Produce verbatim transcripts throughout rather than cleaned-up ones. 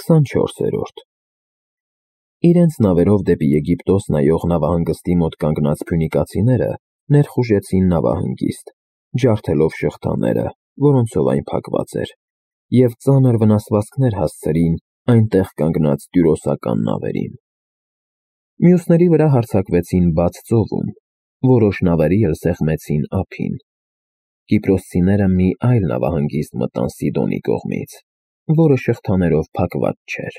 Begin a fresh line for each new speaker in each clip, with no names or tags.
քսանչորսերորդ Իրենց նավերով դեպի Եգիպտոս նայող նավահանգստի մոտ կանգնած փյունիկացիները ներխուժեցին նավահանգիստ, ջարդելով շղթաները, որոնցով այն փակված էր, և ծանր վնասվածքներ հասցրին այնտեղ կանգնած տյուրոսական նավերին։ Մյուսների վրա հարձակվեցին բաց ծովում, որոշ նավերի էլ սեղմեցին ափին։ Կիպրոսցիները մի այլ նավահանգիստ մտան Սիդոնի կողմից, որը շղթաներով փակված չէր,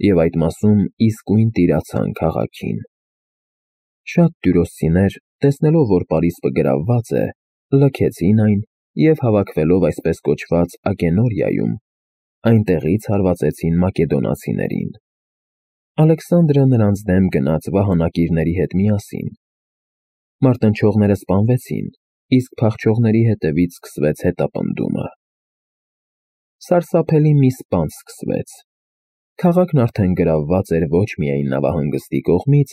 և այդ մասում իսկույն տիրացան քաղաքին։ Շատ տյուրոսցիներ, տեսնելով, որ պարիսպը գրավված է, լքեցին այն և, հավաքվելով այսպես կոչված Ագենորիայում, այնտեղից հարվածեցին մակեդոնացիներին։ Ալեքսանդրը նրանց դեմ գնաց վահանակիրների հետ միասին։ Մարտնչողները սպանվեցին, իսկ փախչողների հետևից սկսվեց հետապնդումը։ Սարսափելի մի սպանց սկսվեց։ Քաղաքն արդեն գրավված էր ոչ միայն նավահանգստի կողմից,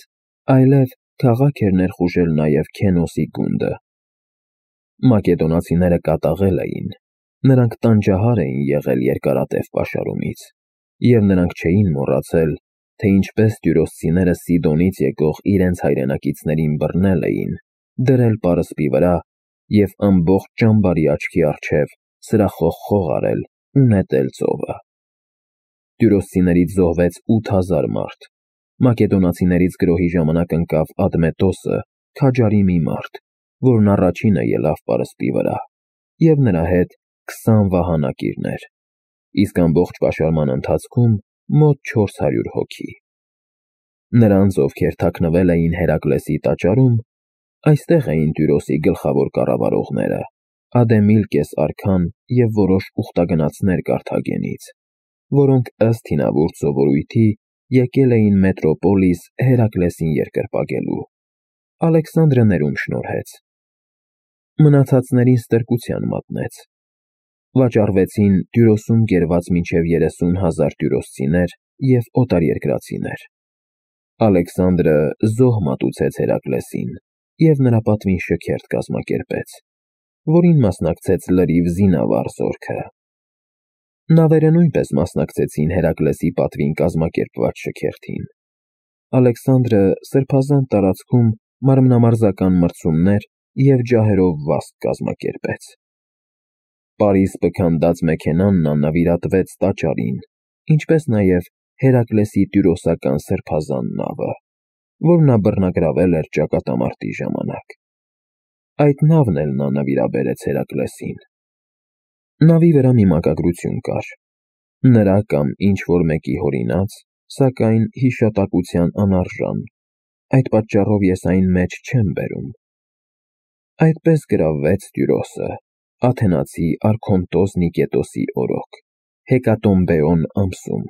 այլև քաղաք էր ներխուժել նաև Քենոսի գունդը։ Մակեդոնացիները կատաղել էին, նրանք տանջահար էին եղել երկարատև պաշարումից, և նրանք չէին մոռացել, թե ինչպես տյուրոսցիները Սիդոնից եկող իրենց հայրենակիցներին բռնել էին, դրել պարսպի վրա և ամբողջ ճամբարի աչքի առջև սրախոխխող արել ու նետել ծովը։ Տյուրոսցիներից զոհվեց ութ հազար մարդ։ Մակեդոնացիներից գրոհի ժամանակ ընկավ Ադմետոսը, քաջարի մի մարդ, որն առաջինը ելավ պարսպի վրա, և նրա հետ քսան վահանակիրներ, իսկ ամբողջ պաշարման ընթացքում մոտ չորս հարյուր հոգի։ Նրանց, ովքեր թաքնվել էին Հերակլեսի տաճարում, այստեղ էին Տյուրոսի գլխավոր կառավարողները՝ Ադեմիլկես արքան և որոշ ուխտագնացներ Կարթագենից, որոնք ըստ հինավուրց սովորույթի եկել էին Մետրոպոլիս Հերակլեսին երկրպագելու։ Ալեքսանդրը ներում շնորհեց։ Մնացածներին ստրկության մատնեց։ Վաճառվեցին Տյուրոսում կերված մինչև երեսուն հազար տյուրոսցիներ և օտարերկրացիներ։ Ալեքսանդրը զոհ մատուցեց Հերակլեսին և նրա պատվին շքերթ կազմակերպեց, որին մասնակցեց լրիվ զինավառ զորքը։ Նավերը նույնպես մասնակցեցին Հերակլեսի պատվին կազմակերպված շքերթին։ Ալեքսանդրը սրբազան տարածքում մարմնամարզական մրցումներ և ջահերով վազք կազմակերպեց։ Պարիսպը քանդած մեքենան նա նվիրատվեց տաճարին, ինչպես նաև Հերակլեսի տյուրոսական սրբազան նավը, որ նա բռնագրավել էր ճակատամարտի ժամանակ։ Այդ նավն էլ նա նվիրաբերեց Հերակլեսին։ Նավի վրա մի մակագրություն կար. նրա կամ ինչ-որ մեկի հորինած, սակայն հիշատակության անարժան, այդ պատճառով ես այն մեջ չեմ բերում։ Այդպես գրավվեց Տյուրոսը, աթենացի արքոնտոս Նիկետոսի օրոք, Հեկատոմբեոն ամսում,